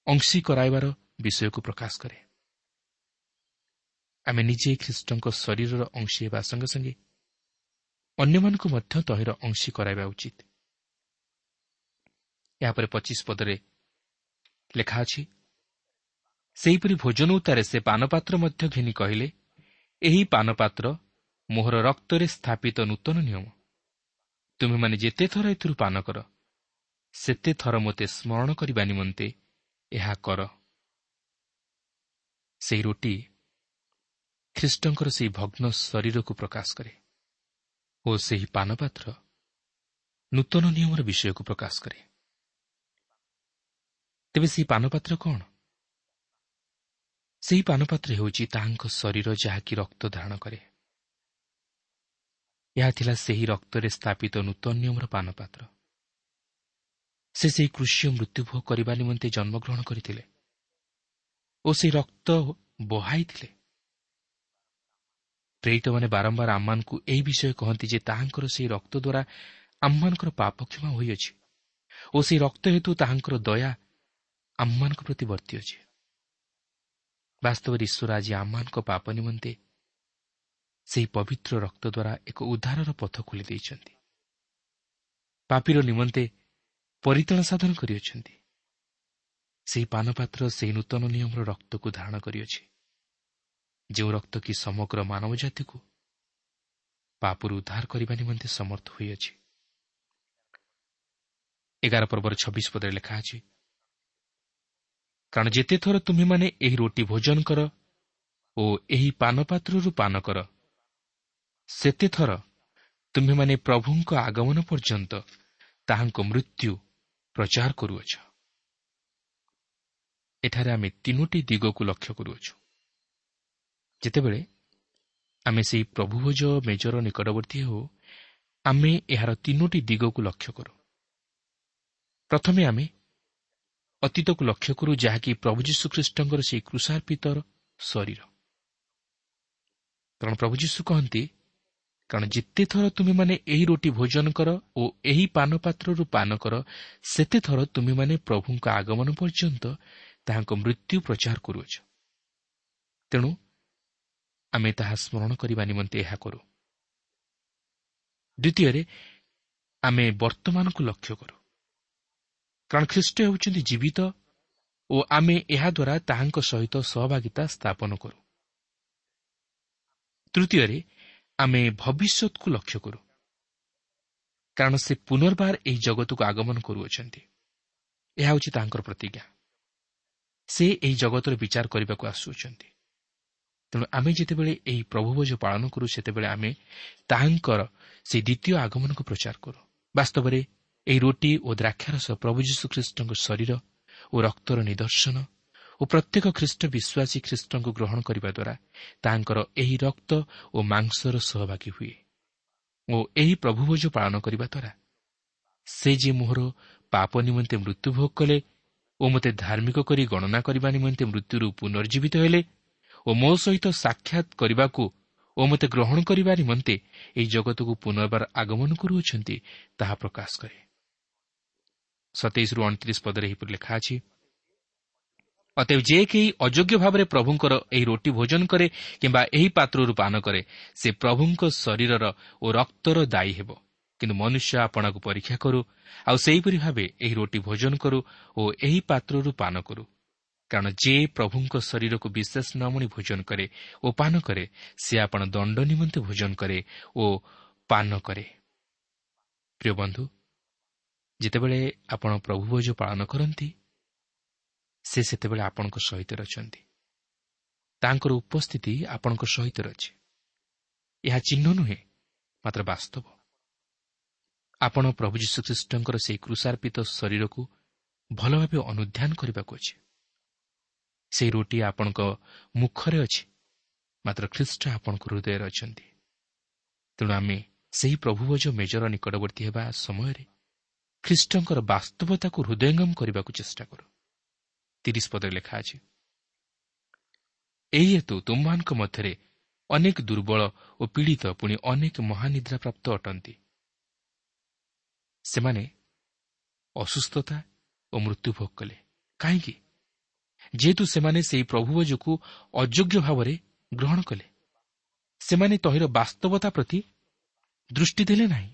ଅଂଶୀ କରାଇବାର ବିଷୟକୁ ପ୍ରକାଶ କରେ। ଆମେ ନିଜେ ଖ୍ରୀଷ୍ଟଙ୍କ ଶରୀରର ଅଂଶୀ ହେବା ସଙ୍ଗେ ସଙ୍ଗେ ଅନ୍ୟମାନଙ୍କୁ ମଧ୍ୟ ତହିଁର ଅଂଶୀ କରାଇବା ଉଚିତ। ଏହାପରେ ପଚିଶ ପଦରେ ଲେଖା ଅଛି, ସେହିପରି ଭୋଜନ ଉତ୍ତାରେ ସେ ପାନପାତ୍ର ମଧ୍ୟ ଘେନି କହିଲେ, ଏହି ପାନପାତ୍ର ମୋହର ରକ୍ତରେ ସ୍ଥାପିତ ନୂତନ ନିୟମ। ତୁମେମାନେ ଯେତେ ଥର ଏଥିରୁ ପାନ କର, ସେତେ ଥର ମୋତେ ସ୍ମରଣ କରିବା ନିମନ୍ତେ ଏହା କର। ସେହି ରୋଟି ଖ୍ରୀଷ୍ଟଙ୍କର ସେହି ଭଗ୍ନ ଶରୀରକୁ ପ୍ରକାଶ କରେ ଓ ସେହି ପାନପାତ୍ର ନୂତନ ନିୟମର ବିଷୟକୁ ପ୍ରକାଶ କରେ। ତେବେ ସେହି ପାନପାତ୍ର କ'ଣ? ସେହି ପାନପାତ୍ର ହେଉଛି ତାହାଙ୍କ ଶରୀର, ଯାହାକି ରକ୍ତ ଧାରଣ କରେ। ଏହା ଥିଲା ସେହି ରକ୍ତରେ ସ୍ଥାପିତ ନୂତନ ନିୟମର ପାନପାତ୍ର। ସେ ସେହି କୃଷି ମୃତ୍ୟୁଭୋଗ କରିବା ନିମନ୍ତେ ଜନ୍ମଗ୍ରହଣ କରିଥିଲେ ଓ ସେହି ରକ୍ତ ବହାଇଥିଲେ। ପ୍ରେରିତମାନେ ବାରମ୍ବାର ଆମମାନଙ୍କୁ ଏହି ବିଷୟ କହନ୍ତି ଯେ ତାହାଙ୍କର ସେହି ରକ୍ତ ଦ୍ୱାରା ଆମମାନଙ୍କର ପାପ କ୍ଷମା ହୋଇଅଛି ଓ ସେହି ରକ୍ତ ହେତୁ ତାହାଙ୍କର ଦୟା ଆମମାନଙ୍କ ପ୍ରତି ବର୍ତ୍ତି ଅଛି। ବାସ୍ତବରେ ଈଶ୍ୱର ଆଜି ଆମମାନଙ୍କ ପାପ ନିମନ୍ତେ ସେହି ପବିତ୍ର ରକ୍ତ ଦ୍ୱାରା ଏକ ଉଦ୍ଧାରର ପଥ ଖୋଲି ଦେଇଛନ୍ତି। ପାପୀର ନିମନ୍ତେ ପରିତ୍ରାଣ ସାଧନ କରିଅଛନ୍ତି। ସେହି ପାନପାତ୍ର ସେହି ନୂତନ ନିୟମର ରକ୍ତକୁ ଧାରଣ କରିଅଛି, ଯେଉଁ ରକ୍ତ କି ସମଗ୍ର ମାନବ ଜାତିକୁ ପାପରୁ ଉଦ୍ଧାର କରିବା ନିମନ୍ତେ ସମର୍ଥ ହୋଇଅଛି। ଏଗାର ପର୍ବର ଛବିଶ ପଦରେ ଲେଖା ଅଛି, କାରଣ ଯେତେଥର ତୁମ୍ଭେମାନେ ଏହି ରୋଟି ଭୋଜନ କର ଓ ଏହି ପାନପାତ୍ରରୁ ପାନ କର, ସେତେଥର ତୁମ୍ଭେମାନେ ପ୍ରଭୁଙ୍କ ଆଗମନ ପର୍ଯ୍ୟନ୍ତ ତାହାଙ୍କ ମୃତ୍ୟୁ ପ୍ରଚାର କରୁଅଛ। ଏଠାରେ ଆମେ ତିନୋଟି ଦିଗକୁ ଲକ୍ଷ୍ୟ କରୁଅଛୁ। ଯେତେବେଳେ ଆମେ ସେହି ପ୍ରଭୁଭୋଜ ମେଜର ନିକଟବର୍ତ୍ତୀ ହେଉ, ଆମେ ଏହାର ତିନୋଟି ଦିଗକୁ ଲକ୍ଷ୍ୟ କରୁ। ପ୍ରଥମେ ଆମେ ଅତୀତକୁ ଲକ୍ଷ୍ୟ କରୁ, ଯାହାକି ପ୍ରଭୁ ଯୀଶୁଖ୍ରୀଷ୍ଟଙ୍କର ସେହି କ୍ରୁଶାର୍ପିତର ଶରୀର। କାରଣ ପ୍ରଭୁ ଯୀଶୁ କହନ୍ତି, କାରଣ ଯେତେଥର ତୁମେମାନେ ଏହି ରୋଟି ଭୋଜନ କର ଓ ଏହି ପାନପାତ୍ରରୁ ପାନ କର, ସେତେଥର ତୁମେମାନେ ପ୍ରଭୁଙ୍କ ଆଗମନ ପର୍ଯ୍ୟନ୍ତ ତାହାଙ୍କ ମୃତ୍ୟୁ ପ୍ରଚାର କରୁଅଛ। ତେଣୁ ଆମେ ତାହା ସ୍ମରଣ କରିବା ନିମନ୍ତେ ଏହା କରୁ। ଦ୍ୱିତୀୟରେ ଆମେ ବର୍ତ୍ତମାନକୁ ଲକ୍ଷ୍ୟ କରୁ, କାରଣ ଖ୍ରୀଷ୍ଟ ହେଉଛନ୍ତି ଜୀବିତ ଓ ଆମେ ଏହାଦ୍ୱାରା ତାହାଙ୍କ ସହିତ ସହଭାଗିତା ସ୍ଥାପନ କରୁ। ତୃତୀୟରେ ଆମେ ଭବିଷ୍ୟତକୁ ଲକ୍ଷ୍ୟ କରୁ, କାରଣ ସେ ପୁନର୍ବାର ଏହି ଜଗତକୁ ଆଗମନ କରୁଅଛନ୍ତି। ଏହା ହେଉଛି ତାହାଙ୍କର ପ୍ରତିଜ୍ଞା। ସେ ଏହି ଜଗତର ବିଚାର କରିବାକୁ ଆସୁଅଛନ୍ତି। ତେଣୁ ଆମେ ଯେତେବେଳେ ଏହି ପ୍ରଭୁଭୋଜ ପାଳନ କରୁ, ସେତେବେଳେ ଆମେ ତାହାଙ୍କର ସେହି ଦ୍ୱିତୀୟ ଆଗମନକୁ ପ୍ରଚାର କରୁ। ବାସ୍ତବରେ ଏହି ରୋଟି ଓ ଦ୍ରାକ୍ଷାରସ ପ୍ରଭୁ ଯୀଶୁଖ୍ରୀଷ୍ଟଙ୍କ ଶରୀର ଓ ରକ୍ତର ନିଦର୍ଶନ ଓ ପ୍ରତ୍ୟେକ ଖ୍ରୀଷ୍ଟ ବିଶ୍ୱାସୀ ଖ୍ରୀଷ୍ଟଙ୍କୁ ଗ୍ରହଣ କରିବା ଦ୍ୱାରା ତାହାଙ୍କର ଏହି ରକ୍ତ ଓ ମାଂସର ସହଭାଗୀ ହୁଏ ଓ ଏହି ପ୍ରଭୁଭୋଜ ପାଳନ କରିବା ଦ୍ୱାରା ସେ ଯେ ମୋହର ପାପ ନିମନ୍ତେ ମୃତ୍ୟୁଭୋଗ କଲେ ଓ ମୋତେ ଧାର୍ମିକ କରି ଗଣନା କରିବା ନିମନ୍ତେ ମୃତ୍ୟୁରୁ ପୁନର୍ଜୀବିତ ହେଲେ ଓ ମୋ ସହିତ ସାକ୍ଷାତ କରିବାକୁ ଓ ମୋତେ ଗ୍ରହଣ କରିବା ନିମନ୍ତେ ଏହି ଜଗତକୁ ପୁନର୍ବାର ଆଗମନ କରୁଅଛନ୍ତି, ତାହା ପ୍ରକାଶ କରେ। ସତେଇଶରୁ ଅଣତିରିଶ ପଦରେ ଏହିପରି ଲେଖା ଅଛି, ଅତଏବ ଯେ କେହି ଅଯୋଗ୍ୟ ଭାବରେ ପ୍ରଭୁଙ୍କର ଏହି ରୋଟି ଭୋଜନ କରେ କିମ୍ବା ଏହି ପାତ୍ରରୁ ପାନ କରେ, ସେ ପ୍ରଭୁଙ୍କ ଶରୀରର ଓ ରକ୍ତର ଦାୟୀ ହେବ। କିନ୍ତୁ ମନୁଷ୍ୟ ଆପଣାକୁ ପରୀକ୍ଷା କରୁ, ଆଉ ସେହିପରି ଭାବେ ଏହି ରୋଟି ଭୋଜନ କରୁ ଓ ଏହି ପାତ୍ରରୁ ପାନ କରୁ। କାରଣ ଯେ ପ୍ରଭୁଙ୍କ ଶରୀରକୁ ବିଶେଷ ନ ମଣି ଭୋଜନ କରେ ଓ ପାନ କରେ, ସେ ଆପଣ ଦଣ୍ଡ ନିମନ୍ତେ ଭୋଜନ କରେ ଓ ପାନ କରେ। ପ୍ରିୟ ବନ୍ଧୁ, ଯେତେବେଳେ ଆପଣ ପ୍ରଭୁଭୋଜ ପାଳନ କରନ୍ତି, ସେ ସେତେବେଳେ ଆପଣଙ୍କ ସହିତ ଅଛନ୍ତି। ତାଙ୍କର ଉପସ୍ଥିତି ଆପଣଙ୍କ ସହିତ ଅଛି। ଏହା ଚିହ୍ନ ନୁହେଁ, ମାତ୍ର ବାସ୍ତବ। ଆପଣ ପ୍ରଭୁ ଯୀଶୁଖ୍ରୀଷ୍ଟଙ୍କର ସେହି କ୍ରୁଶାର୍ପିତ ଶରୀରକୁ ଭଲ ଭାବେ ଅନୁଧ୍ୟାନ କରିବାକୁ ଅଛି। ସେହି ରୋଟି ଆପଣଙ୍କ ମୁଖରେ ଅଛି, ମାତ୍ର ଖ୍ରୀଷ୍ଟ ଆପଣଙ୍କ ହୃଦୟରେ ଅଛନ୍ତି। ତେଣୁ ଆମେ ସେହି ପ୍ରଭୁଭୋଜ ମେଜର ନିକଟବର୍ତ୍ତୀ ହେବା ସମୟରେ ଖ୍ରୀଷ୍ଟଙ୍କର ବାସ୍ତବତାକୁ ହୃଦୟଙ୍ଗମ କରିବାକୁ ଚେଷ୍ଟା କରୁ। ତିରିଶ ପଦରେ ଲେଖା ଅଛି, ଏହି ହେତୁ ତୁମମାନଙ୍କ ମଧ୍ୟରେ ଅନେକ ଦୁର୍ବଳ ଓ ପୀଡ଼ିତ ପୁଣି ଅନେକ ମହାନିଦ୍ରାପ୍ରାପ୍ତ ଅଟନ୍ତି। ସେମାନେ ଅସୁସ୍ଥତା ଓ ମୃତ୍ୟୁଭୋଗ କଲେ। କାହିଁକି? ଯେହେତୁ ସେମାନେ ସେହି ପ୍ରଭୁଭୋଜକୁ ଅଯୋଗ୍ୟ ଭାବରେ ଗ୍ରହଣ କଲେ। ସେମାନେ ତହିଁର ବାସ୍ତବତା ପ୍ରତି ଦୃଷ୍ଟି ଦେଲେ ନାହିଁ।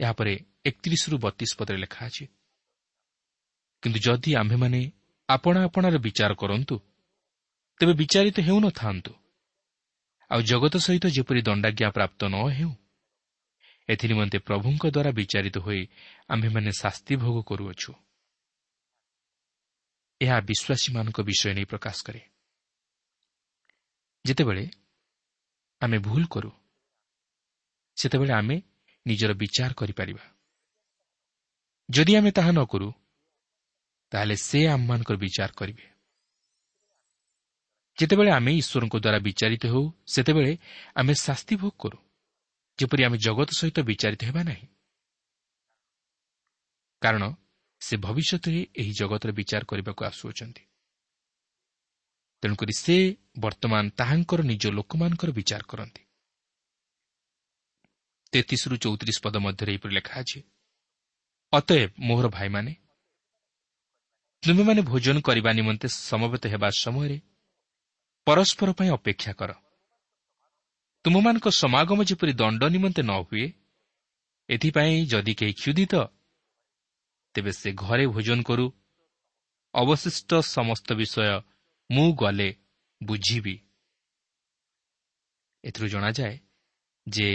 ଏହାପରେ ଏକତିରିଶରୁ ବତିଶ ପଦରେ ଲେଖା ଅଛି, କିନ୍ତୁ ଯଦି ଆମ୍ଭେମାନେ ଆପଣା ଆପଣାର ବିଚାର କରନ୍ତୁ, ତେବେ ବିଚାରିତ ହେଉନଥାନ୍ତୁ, ଆଉ ଜଗତ ସହିତ ଯେପରି ଦଣ୍ଡାଜ୍ଞା ପ୍ରାପ୍ତ ନ ହେଉ, ଏଥିନିମନ୍ତେ ପ୍ରଭୁଙ୍କ ଦ୍ୱାରା ବିଚାରିତ ହୋଇ ଆମ୍ଭେମାନେ ଶାସ୍ତି ଭୋଗ କରୁଅଛୁ। ଏହା ବିଶ୍ୱାସୀମାନଙ୍କ ବିଷୟ ନେଇ ପ୍ରକାଶ କରେ। ଯେତେବେଳେ ଆମେ ଭୁଲ କରୁ, ସେତେବେଳେ ଆମେ ନିଜର ବିଚାର କରିପାରିବା। ଯଦି ଆମେ ତାହା ନ କରୁ, ତାହେଲେ ସେ ଆମମାନଙ୍କର ବିଚାର କରିବେ। ଯେତେବେଳେ ଆମେ ଈଶ୍ୱରଙ୍କ ଦ୍ୱାରା ବିଚାରିତ ହେଉ, ସେତେବେଳେ ଆମେ ଶାସ୍ତି ଭୋଗ କରୁ, ଯେପରି ଆମେ ଜଗତ ସହିତ ବିଚାରିତ ହେବା ନାହିଁ, କାରଣ ସେ ଭବିଷ୍ୟତରେ ଏହି ଜଗତର ବିଚାର କରିବାକୁ ଆସୁଅଛନ୍ତି। ତେଣୁକରି ସେ ବର୍ତ୍ତମାନ ତାହାଙ୍କର ନିଜ ଲୋକମାନଙ୍କର ବିଚାର କରନ୍ତି। ତେତିଶରୁ ଚଉତିରିଶ ପଦ ମଧ୍ୟରେ ଏହିପରି ଲେଖା ଅଛି, ଅତଏବ ମୋହର ଭାଇମାନେ, ତୁମେମାନେ ଭୋଜନ କରିବା ନିମନ୍ତେ ସମବେତ ହେବା ସମୟରେ ପରସ୍ପର ପାଇଁ ଅପେକ୍ଷା କର। ତୁମମାନଙ୍କ ସମାଗମ ଯେପରି ଦଣ୍ଡ ନିମନ୍ତେ ନ ହୁଏ, ଏଥିପାଇଁ ଯଦି କେହି କ୍ଷୁଧିତ, ତେବେ ସେ ଘରେ ଭୋଜନ କରୁ। ଅବଶିଷ୍ଟ ସମସ୍ତ ବିଷୟ ମୁଁ ଗଲେ ବୁଝିବି। ଏଥିରୁ ଜଣାଯାଏ ଯେ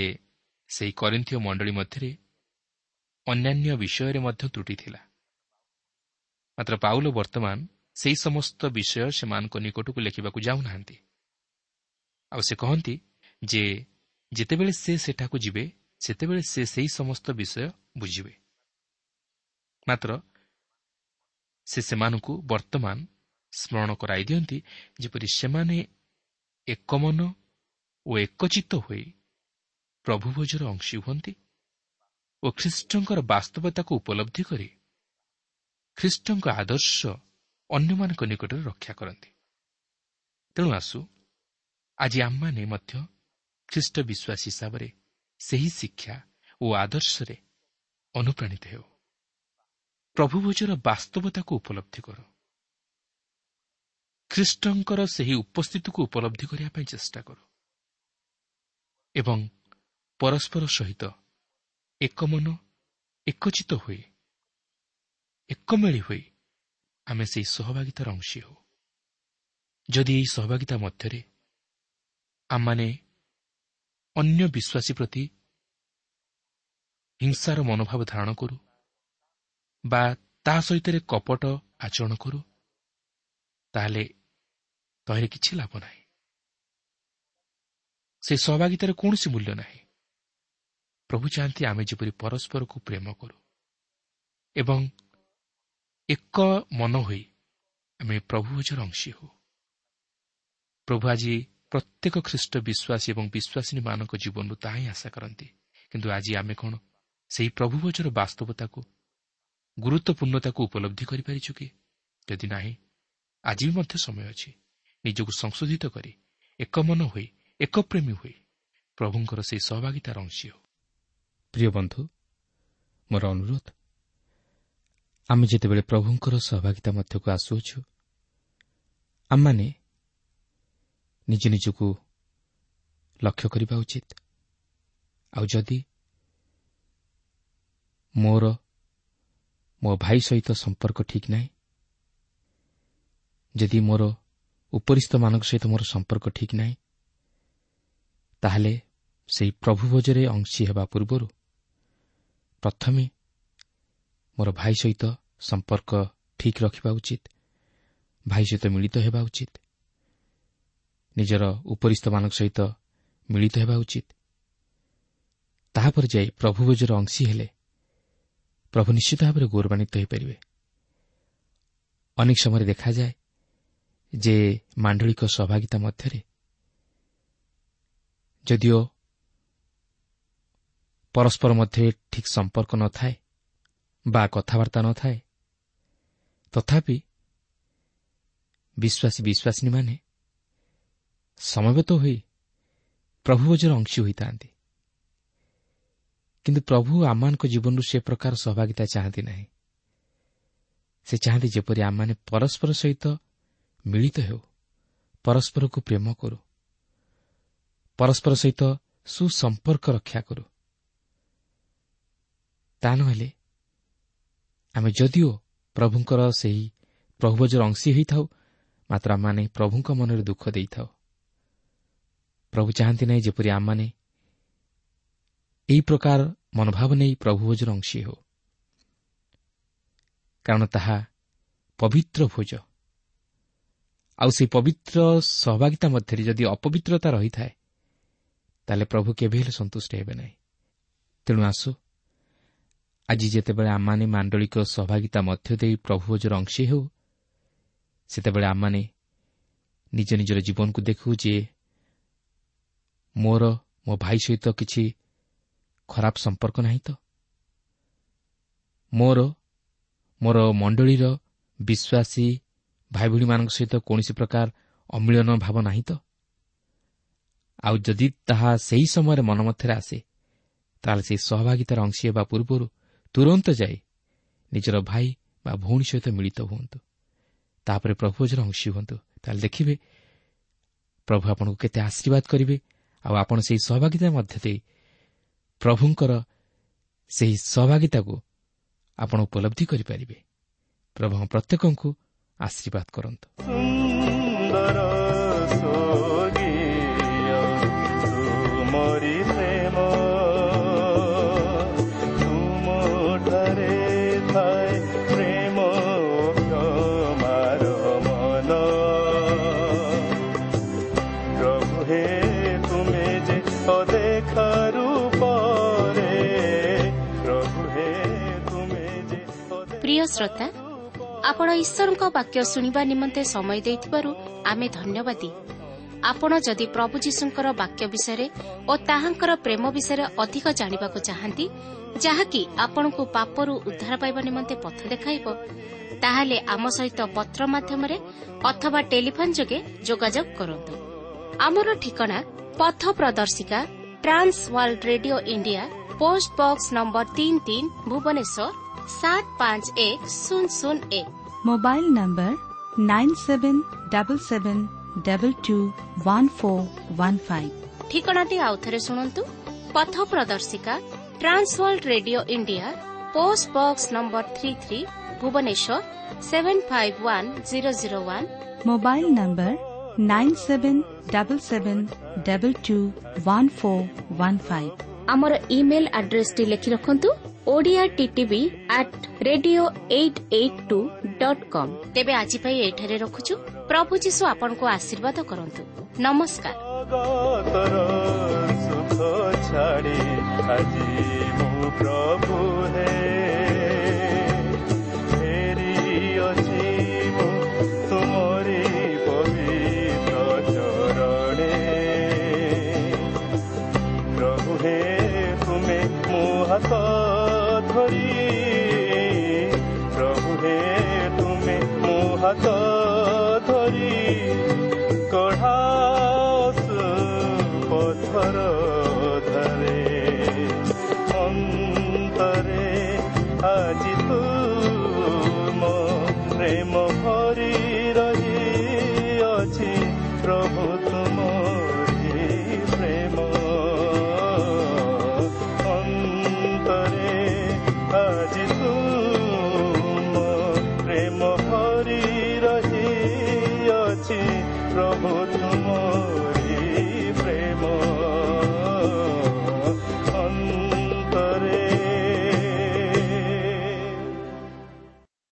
ସେହି କରିନ୍ଥୀୟ ମଣ୍ଡଳୀ ମଧ୍ୟରେ ଅନ୍ୟାନ୍ୟ ବିଷୟରେ ମଧ୍ୟ ତ୍ରୁଟି ଥିଲା। ମାତ୍ର ପାଉଲ ବର୍ତ୍ତମାନ ସେହି ସମସ୍ତ ବିଷୟ ସେମାନଙ୍କ ନିକଟକୁ ଲେଖିବାକୁ ଯାଉନାହାନ୍ତି। ଆଉ ସେ କହନ୍ତି ଯେ ଯେତେବେଳେ ସେ ସେଠାକୁ ଯିବେ, ସେତେବେଳେ ସେ ସେହି ସମସ୍ତ ବିଷୟ ବୁଝିବେ। ମାତ୍ର ସେ ସେମାନଙ୍କୁ ବର୍ତ୍ତମାନ ସ୍ମରଣ କରାଇ ଦିଅନ୍ତି, ଯେପରି ସେମାନେ ଏକମନ ଓ ଏକଚିତ୍ତ ହୋଇ ପ୍ରଭୁଭୋଜର ଅଂଶୀ ହୁଅନ୍ତି ଓ ଖ୍ରୀଷ୍ଟଙ୍କର ବାସ୍ତବତାକୁ ଉପଲବ୍ଧି କରି ଖ୍ରୀଷ୍ଟଙ୍କ ଆଦର୍ଶ ଅନ୍ୟମାନଙ୍କ ନିକଟରେ ରକ୍ଷା କରନ୍ତି। ତେଣୁ ଆସୁ ଆଜି ଆମମାନେ ମଧ୍ୟ ଖ୍ରୀଷ୍ଟ ବିଶ୍ୱାସୀ ହିସାବରେ ସେହି ଶିକ୍ଷା ଓ ଆଦର୍ଶରେ ଅନୁପ୍ରାଣିତ ହେଉ। ପ୍ରଭୁଭୋଜର ବାସ୍ତବତାକୁ ଉପଲବ୍ଧି କରୁ। ଖ୍ରୀଷ୍ଟଙ୍କର ସେହି ଉପସ୍ଥିତିକୁ ଉପଲବ୍ଧି କରିବା ପାଇଁ ଚେଷ୍ଟା କରୁ ଏବଂ ପରସ୍ପର ସହିତ ଏକମନ ଏକଚିତ ହୋଇ ଏକମେଳି ହୋଇ ଆମେ ସେହି ସହଭାଗିତାର ଅଂଶୀ ହେଉ। ଯଦି ଏହି ସହଭାଗିତା ମଧ୍ୟରେ ଆମମାନେ ଅନ୍ୟ ବିଶ୍ୱାସୀ ପ୍ରତି ହିଂସାର ମନୋଭାବ ଧାରଣ କରୁ ବା ତା ସହିତ କପଟ ଆଚରଣ କରୁ, ତାହେଲେ ତହିଁରେ କିଛି ଲାଭ ନାହିଁ। ସେ ସହଭାଗିତାରେ କୌଣସି ମୂଲ୍ୟ ନାହିଁ। ପ୍ରଭୁ ଚାହାନ୍ତି ଆମେ ଯେପରି ପରସ୍ପରକୁ ପ୍ରେମ କରୁ ଏବଂ ଏକ ମନ ହୋଇ ଆମେ ପ୍ରଭୁଭୋଜର ଅଂଶୀ ହେଉ। ପ୍ରଭୁ ଆଜି ପ୍ରତ୍ୟେକ ଖ୍ରୀଷ୍ଟ ବିଶ୍ୱାସୀ ଏବଂ ବିଶ୍ୱାସିନୀମାନଙ୍କ ଜୀବନରୁ ତାହା ହିଁ ଆଶା କରନ୍ତି। କିନ୍ତୁ ଆଜି ଆମେ କ'ଣ ସେହି ପ୍ରଭୁଭୋଜର ବାସ୍ତବତାକୁ, ଗୁରୁତ୍ୱପୂର୍ଣ୍ଣତାକୁ ଉପଲବ୍ଧି କରିପାରିଛୁ କି? ଯଦି ନାହିଁ, ଆଜି ବି ମଧ୍ୟ ସମୟ ଅଛି ନିଜକୁ ସଂଶୋଧିତ କରି ଏକ ମନ ହୋଇ ଏକପ୍ରେମୀ ହୋଇ ପ୍ରଭୁଙ୍କର ସେହି ସହଭାଗିତାର ଅଂଶୀ ହେଉ। ପ୍ରିୟ ବନ୍ଧୁ, ମୋର ଅନୁରୋଧ, ଆମେ ଯେତେବେଳେ ପ୍ରଭୁଙ୍କର ସହଭାଗିତା ମଧ୍ୟକୁ ଆସୁଅଛୁ, ଆମମାନେ ନିଜ ନିଜକୁ ଲକ୍ଷ୍ୟ କରିବା ଉଚିତ। ଆଉ ଯଦି ମୋର ମୋ ଭାଇ ସହିତ ସମ୍ପର୍କ ଠିକ୍ ନାହିଁ, ଯଦି ମୋର ଉପରିସ୍ଥମାନଙ୍କ ସହିତ ମୋର ସମ୍ପର୍କ ଠିକ୍ ନାହିଁ, ତାହେଲେ ସେହି ପ୍ରଭୁଭୋଜରେ ଅଂଶୀ ହେବା ପୂର୍ବରୁ ପ୍ରଥମେ ମୋର ଭାଇ ସହିତ ସମ୍ପର୍କ ଠିକ୍ ରଖିବା ଉଚିତ, ଭାଇ ସହିତ ମିଳିତ ହେବା ଉଚିତ। ନିଜର ଉପରିସ୍ଥମାନଙ୍କ ସହିତ ମିଳିତ ହେବା ଉଚିତ। ତାହାପରେ ଯାଇ ପ୍ରଭୁ ଭୋଜର ଅଂଶୀ ହେଲେ ପ୍ରଭୁ ନିଶ୍ଚିତ ଭାବରେ ଗୌରବାନ୍ୱିତ ହୋଇପାରିବେ। ଅନେକ ସମୟରେ ଦେଖାଯାଏ ଯେ ମାଣ୍ଡଳିକ ସହଭାଗିତା ମଧ୍ୟରେ ଯଦିଓ ପରସ୍ପର ମଧ୍ୟରେ ଠିକ୍ ସମ୍ପର୍କ ନଥାଏ ବା କଥାବାର୍ତ୍ତା ନଥାଏ, ତଥାପି ବିଶ୍ୱାସୀ ବିଶ୍ୱାସିନୀମାନେ ସମବେତ ହୋଇ ପ୍ରଭୁ ଭୋଜର ଅଂଶୀ ହୋଇଥାନ୍ତି। କିନ୍ତୁ ପ୍ରଭୁ ଆମମାନଙ୍କ ଜୀବନରୁ ସେ ପ୍ରକାର ସହଭାଗିତା ଚାହାନ୍ତି ନାହିଁ। ସେ ଚାହାନ୍ତି ଯେପରି ଆମମାନେ ପରସ୍ପର ସହିତ ମିଳିତ ହେଉ, ପରସ୍ପରକୁ ପ୍ରେମ କରୁ, ପରସ୍ପର ସହିତ ସୁସମ୍ପର୍କ ରକ୍ଷା କରୁ। ତା ନହେଲେ ଆମେ ଯଦିଓ ପ୍ରଭୁଙ୍କର ସେହି ପ୍ରଭୁଭୋଜର ଅଂଶୀ ହୋଇଥାଉ, ମାତ୍ର ଆମମାନେ ପ୍ରଭୁଙ୍କ ମନରେ ଦୁଃଖ ଦେଇଥାଉ। ପ୍ରଭୁ ଚାହାନ୍ତି ନାହିଁ ଯେପରି ଆମମାନେ ଏହି ପ୍ରକାର ମନୋଭାବ ନେଇ ପ୍ରଭୁଭୋଜର ଅଂଶୀ ହେଉ, କାରଣ ତାହା ପବିତ୍ର ଭୋଜ। ଆଉ ସେହି ପବିତ୍ର ସହଭାଗିତା ମଧ୍ୟରେ ଯଦି ଅପବିତ୍ରତା ରହିଥାଏ, ତାହେଲେ ପ୍ରଭୁ କେବେ ହେଲେ ସନ୍ତୁଷ୍ଟ ହେବେ ନାହିଁ। ତେଣୁ ଆସୁ ଆଜି ଯେତେବେଳେ ଆମମାନେ ମାଣ୍ଡଳିକ ସହଭାଗିତା ମଧ୍ୟ ଦେଇ ପ୍ରଭୁଭୋଜର ଅଂଶୀ ହେଉ, ସେତେବେଳେ ଆମମାନେ ନିଜ ନିଜର ଜୀବନକୁ ଦେଖୁ ଯେ ମୋର ମୋ ଭାଇ ସହିତ କିଛି ଖରାପ ସମ୍ପର୍କ ନାହିଁ ତ, ମୋର ମୋର ମଣ୍ଡଳୀର ବିଶ୍ୱାସୀ ଭାଇ ଭଉଣୀମାନଙ୍କ ସହିତ କୌଣସି ପ୍ରକାର ଅମିଳନ ଭାବ ନାହିଁ ତ। ଆଉ ଯଦି ତାହା ସେହି ସମୟରେ ମନ ମଧ୍ୟରେ ଆସେ, ତାହେଲେ ସେହି ସହଭାଗିତାର ଅଂଶୀ ହେବା ପୂର୍ବରୁ ତୁରନ୍ତ ଯାଇ ନିଜର ଭାଇ ବା ଭଉଣୀ ସହିତ ମିଳିତ ହୁଅନ୍ତୁ, ତାପରେ ପ୍ରଭୁଭୋଜର ଅଂଶୀ ହୁଅନ୍ତୁ। ତାହେଲେ ଦେଖିବେ ପ୍ରଭୁ ଆପଣଙ୍କୁ କେତେ ଆଶୀର୍ବାଦ କରିବେ। ଆଉ ଆପଣ ସେହି ସହଭାଗିତା ମଧ୍ୟ ଦେଇ ପ୍ରଭୁଙ୍କର ସେହି ସହଭାଗିତାକୁ ଆପଣ ଉପଲବ୍ଧି କରିପାରିବେ। ପ୍ରଭୁ ପ୍ରତ୍ୟେକଙ୍କୁ ଆଶୀର୍ବାଦ କରନ୍ତୁ। ପ୍ରିୟ ଶ୍ରୋତା, ଆପଣ ଈଶ୍ୱରଙ୍କ ବାକ୍ୟ ଶୁଣିବା ନିମନ୍ତେ ସମୟ ଦେଇଥିବାରୁ ଆମେ ଧନ୍ୟବାଦୀ। ଆପଣ ଯଦି ପ୍ରଭୁ ଯୀଶୁଙ୍କର ବାକ୍ୟ ବିଷୟରେ ଓ ତାହାଙ୍କର ପ୍ରେମ ବିଷୟରେ ଅଧିକ ଜାଣିବାକୁ ଚାହାନ୍ତି, ଯାହାକି ଆପଣଙ୍କୁ ପାପରୁ ଉଦ୍ଧାର ପାଇବା ନିମନ୍ତେ ପଥ ଦେଖାଇବ, ତାହେଲେ ଆମ ସହିତ ପତ୍ର ମାଧ୍ୟମରେ ଅଥବା ଟେଲିଫୋନ୍ ଯୋଗେ ଯୋଗାଯୋଗ କରନ୍ତୁ। ଆମର ଠିକଣା ପଥ ପ୍ରଦର୍ଶିକା, Trans World Radio India, post box number ତିନି ତିନି, ଭୁବନେଶ୍ୱର ସାତ ପାଞ୍ଚ ଏକ ଶୂନ ଶୂନ ଏକ। Mobile number nine seven double seven double two one four one five. ଠିକଣାଟି ଆଉଥରେ ଶୁଣନ୍ତୁ। ପଥ ପ୍ରଦର୍ଶିକା, Trans World Radio India, post box number three three, Bhubaneswar seven five one zero zero one. Mobile number nine seven double seven double two one four one five. ଆମର email ଆଡ୍ରେସଟି ଲେଖି ରଖନ୍ତୁ, Odia TTV at radio eight eight two dot com. ତେବେ ଆଜି ପାଇଁ ଏଠାରେ ରଖୁଛୁ। ପ୍ରଭୁ ଯୀଶୁ ଆପଣଙ୍କୁ ଆଶୀର୍ବାଦ କରନ୍ତୁ। ନମସ୍କାର। ସୁଖ ଛାଡ଼ି ଆଜି ମୁଁ ପ୍ରଭୁ ହେ ଫେରିଅଛି ମୁଁ ତୁମରି ପବିତ୍ର ଚରଣେ। ପ୍ରଭୁ ହେ ତୁମେ ମୋ ହାତ ଧରି, ପ୍ରଭୁ ହେ ତୁମେ ମୋ ହାତ ଧରି କଢ଼ାଅ ପଥର